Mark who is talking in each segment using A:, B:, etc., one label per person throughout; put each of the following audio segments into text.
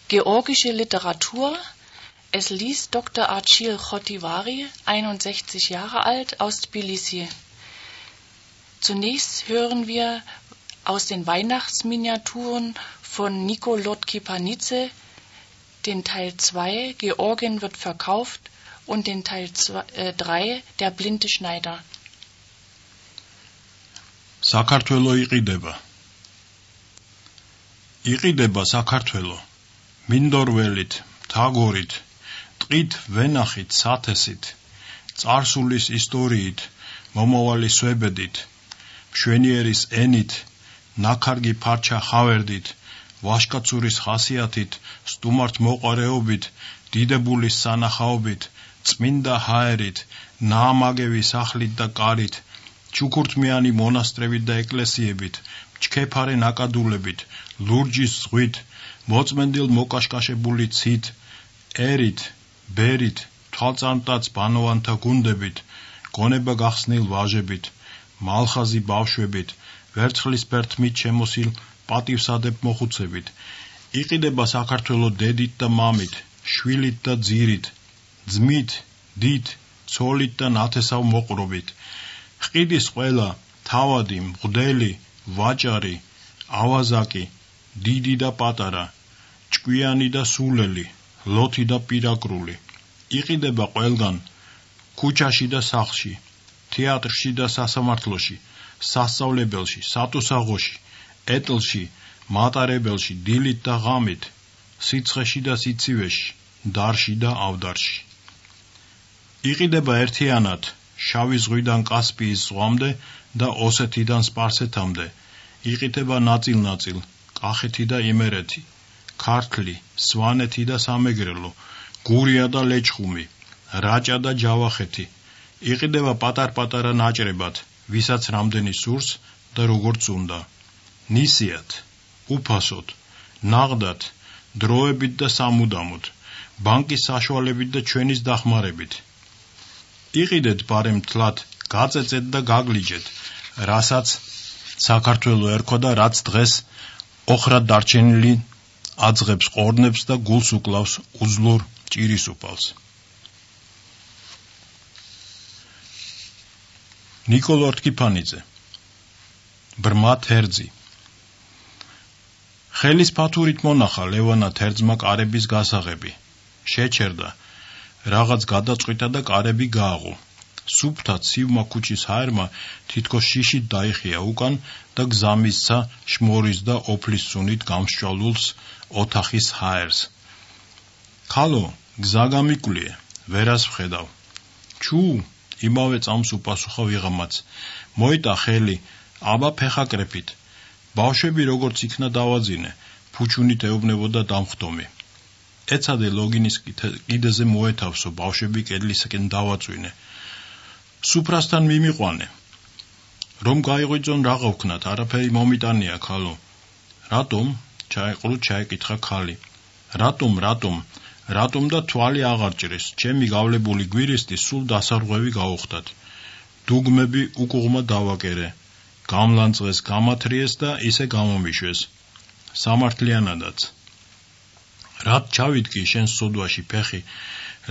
A: Georgische Literatur. Es liest Dr. Archil Khotivari, 61 Jahre alt, aus Tbilisi. Zunächst hören wir aus den Weihnachtsminiaturen von Nikolot Kipanidze den Teil 2, Georgien wird verkauft, und den Teil 3, Der blinde Schneider.
B: საქართველო იყიდება. იყიდება საქართველო. მინდორველით, თაგორით, ტყით, ვენახით, სათესით, წარსულის ისტორიით, მომავალი სვებედით, მშვენიერის ენით, ნაქარგი ფარჩა ხავერდით, ვაშკაცურის ხასიათით, სტუმართ მოყარეობით, დიდებულის სანახაობით, წმინდა ჰაერით, ნაამაგევი სახლით და კარით, ჩუქურთმიანი მონასტრებით და ეკლესიებით, ჩქეფარე ნაკადულებით, ლურჯის ზღვით, მოწმენდილ მოკაშკაშებული ცით, ერით, ბერით, თვალწარმტაც ბანოვანთა გუნდებით, გონება გახსნილ ვაჟებით, მალხაზი ბავშვებით, ვერცხლის ფერთმით შემოსილ პატივსადებ მოხუცებით. იყიდება საქართველო დედით და მამით, შვილით და ძირით, ძმით, დიდ, ცოლით და ნათესავ მოყრობით. ხიდის ყველა, თავადი, მღვდელი, ვაჭარი, ავაზაკი, დიდი და პატარა, ჭკვიანი და სულელი, ლოთი და პირაკრული. იყიდება ყველგან, ქუჩაში და სახლში, თეატრში და სასამართლოში, სასწავლებელში, სატუსაღოში, ეტლში, მატარებელში, დილით და ღამით, სიცხეში და სიცივეში, დარში და ავდარში. იყიდება ერთიანად, შავი ზღვიდან კასპიის ზღვამდე და ოსეთიდან სპარსეთამდე. იყიდება ნაწილ-ნაწილ, კახეთი და იმერეთი, ქართლი, სვანეთი და სამეგრელო, გურია და ლეჩხუმი, რაჭა და ჯავახეთი. იყიდება პატარ-პატარა ნაჭრებად, ვისაც რამდენი სურს და როგორც უნდა. ნისიათ, უფასოდ, ნაღდად, დროებით და სამუდამოდ, ბანკის საშუალებით და ჩვენის დახმარებით. იყიდეთ ბარემ თლად, გაწეწეთ და გაგლიჯეთ, რასაც საქართველო ერქვა და რაც დღეს ოხრად დარჩენილი აძღებს ყორნებს და გულს უკლავს უძლურ ჭირისუფალს. ნიკოლოტ კიფანიძე. ბრმა თერძი. ხელის ფათურით მონახა ლევანა თერძმა კარების გასაღები. შეჩერდა, რაღაც გადაწყვიტა და კარები გააღო. სუფთა ცივმა ქუჩის ჰაერმა თითქოს შიშით დაიხია უკან და გზა მისცა შმორის და ოფლის სუნით გამსჭვალულს ოთახის ჰაერს. ქალო, გზა გამიკვლიე, ვერას ვხედავ. ჩუ, იმავე წამს უპასუხა ვიღამაც. მოიტა ხელი, აბა ფეხაკრეფით. ბავშვები როგორც იქნა დავაძინე, ფუჩუნით ეუბნებოდა დამხდომი. ეცადე ლოგინის კიდეზე მოეთავსო, ბავშვები კედლისაკენ დავაწვინე. სუფრასთან მიმიყვანე. რომ გაიღვიძონ რაღა ვქნათ, არაფერი მომიტანია ქალო. რატომ? ჩაეყრუ ჩაეკითხა ქალი. რატომ და თვალი აღარ ჭრის, ჩემი გავლებული გვირისტი სულ დასარღვევი გაუხდათ. დუგმები უკუღმა დავაკერე. გამლანწეს, გამათრიეს და ისე გამომიშვეს. სამართლიანადაც. რად ჩავიდგი შენ სოდვაში ფეხი,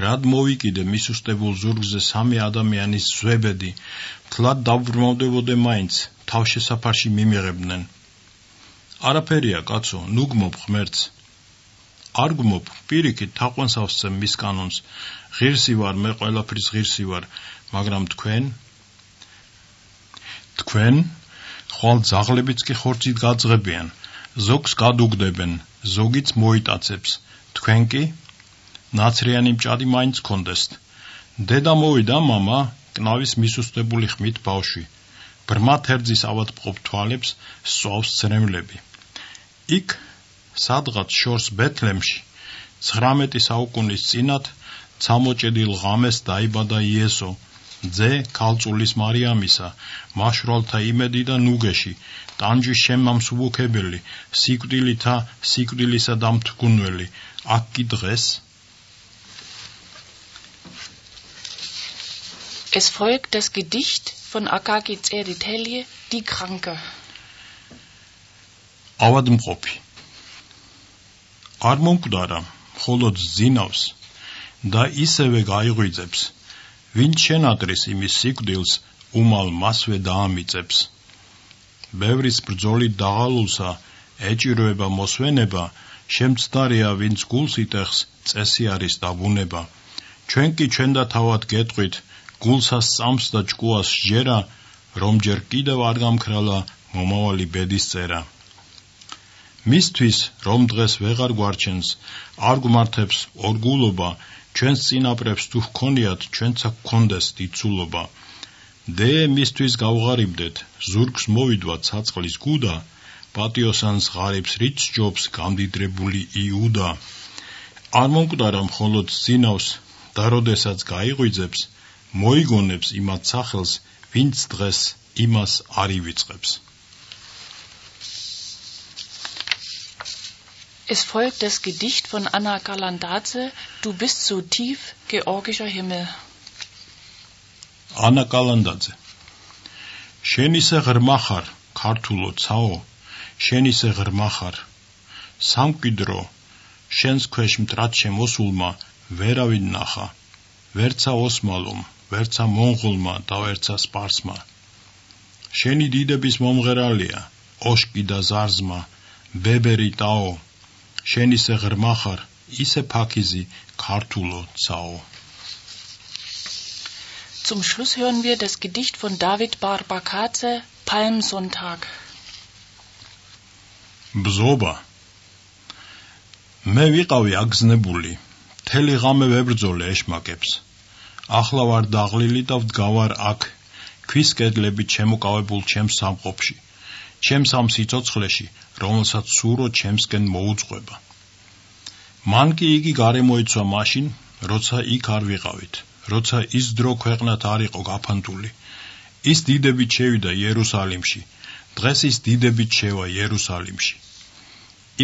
B: რად მოვიკიდე მისუსტებულ ზურგზე სამი ადამიანის ზვებედი, თლად დავბრმავდებოდე მაინც, თავშესაფარში მიმიღებდნენ. არაფერია, კაცო, ნუ გმობ ღმერთს. არ გმობ, პირიქით თაყვანს ავსცემ მის კანონს. ღირსი ვარ, მე ყველაფრის ღირსი ვარ, მაგრამ თქვენ ხვალ ძაღლებიც კი ხორცით გაძღებიან, ზოგს გადუგდებენ, ზოგიც მოიტაცებს, თქვენ კი ნაცრიანი მჭადი მაინც გქონდესთ. დედა მოვიდა, მამა, კნავის მისუსტებული ხმით ბავშვი. ბრმა თერძის ავადმყოფ თვალებს სწვავს ცრემლები. იქ სადღაც შორს ბეთლემში 19 საუკუნის წინათ ცამოჭედილ ღამეს დაიბადა იესო, ძე ქალწულის მარიამისა, მაშვრალთა იმედი და ნუგეში, ტანჯვის შემამსუბუქებელი, სიკვდილითა სიკვდილისა დამთგუნველი. აქ კი დღეს
A: Es folgt das Gedicht von Akaki Tsereteli, Die Kranke.
B: ავადმყოფი. არ მომკვდარა, მხოლოდ ზინავს და ისევე გაიღვიძებს, ვინც შენატრის იმის სიკვდილს უმალ მასვე დაამიწებს. ბევრის ბრძოლით დაღალულსა ეჭირვება მოსვენება, შემცდარია ვინც გულს იტეხს, წესი არის დაბუნება. ჩვენ კი ჩვენ და თავად გეტყვით, გულსა სწამს და ჭკუას სჯერა, რომ ჯერ კიდევ არ გამქრალა მომავალი ბედის წერა. მისთვის, რომ დღეს ვეღარ გვარჩენს, არ გვმართებს ორგულობა, ჩვენს წინაპრებს თუ ჰქონიათ, ჩვენცა გქონდეს დიდსულობა. დე მისთვის გავღარიბდეთ, ზურგს მოვიდვა ცაწყლის გუდა, პატიოსანს ღარიბს რით სჯობს გამდიდრებული იუდა. არ მომკვდარა მხოლოდ ზინავს და როდესაც გაიღვიძებს, მოიგონებს იმათ სახელს, ვინც დღეს იმას არ ივიწყებს.
A: Es folgt das Gedicht von Anna Galandaze, Du bist so tief, georgischer Himmel.
B: Anna Galandaze. შენ ისე ღრმა ხარ, ქართულო ცაო, შენ ისე ღრმა ხარ. სამკვიდრო, შენს ქვეშ მტრად შემოსულმა ვერავინ ნახა, ვერცა ოსმალომ, ვერცა მონღოლმა და ვერცა სპარსმა. შენი დიდების მომღერალია, ოშკი და ზარზმა, ბებერი ტაო, შენ ისე ღრმა ხარ, ისე ფაქიზი, ქართულო ცაო.
A: Zum Schluss hören wir das Gedicht von David Barbakadze, Palmsonntag.
B: Bzoba. მე ვიყავი აგზნებული, მთელი ღამე ვებრძოლე ეშმაკებს. ახლა ვარ დაღლილი და ვდგავარ აქ, ქვის კედლებით შემოკავებულ ჩემს სამყოფში, ჩემს ამ სიცოცხლეში, რომელსაც სურო ჩემსკენ მოუძღვება. მან კი იგი გარემოიცვა მაშინ, როცა იქ არ ვიყავით, როცა ის დრო ქვეყნად არ იყო გაფანტული. ის დიდებით შევიდა იერუსალიმში, დღეს ის დიდებით შევა იერუსალიმში.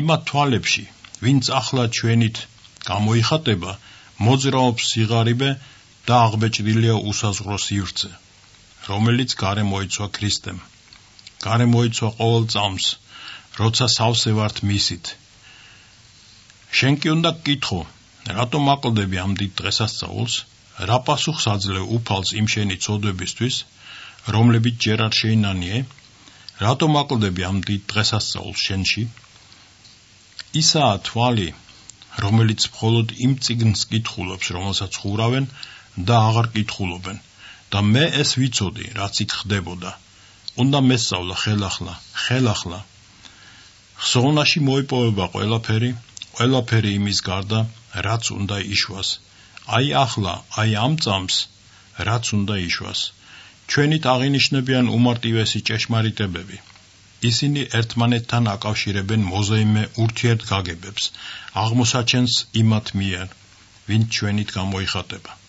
B: იმათ თვალებში, ვინც ახლა ჩვენით გამოიხატება, მოძრაობს სიღარიბე და აღბეჭდილია უსაზღვრო სივრცე, რომელიც გარემოიცვა ქრისტემ. გარემოიცვა ყოველ წამს, როცა სავსე ვართ მისით. შენ კი უნდა გკითხო, რატომ აკლდები ამ დიდ დღესასწაულს, რა პასუხს აძლევ უფალს იმ შენი ცოდვებისთვის, რომლებიც ჯერ არ შეინანიე, რატომ აკლდები ამ დიდ დღესასწაულს შენში? ისაა თვალი, რომელიც მხოლოდ იმ წიგნს კითხულობს, რომელსაც ხურავენ და აღარ კითხულობენ, და მე ეს ვიცოდი, რაც იქ ხდებოდა. უნდა მესწავლა ხელახლა. ხსოვნაში მოიპოვება ყველაფერი იმის გარდა, რაც უნდა იშვას. აი ახლა, აი ამ წამს, რაც უნდა იშვას. ჩვენით აღინიშნებიან უმარტივესი ჭეშმარიტებები. ისინი ერთმანეთთან აკავშირებენ მოზაიმე ურთიერთგაგებებს, აღმოსაჩენს იმათ მიერ, ვინც ჩვენით გამოიხატება.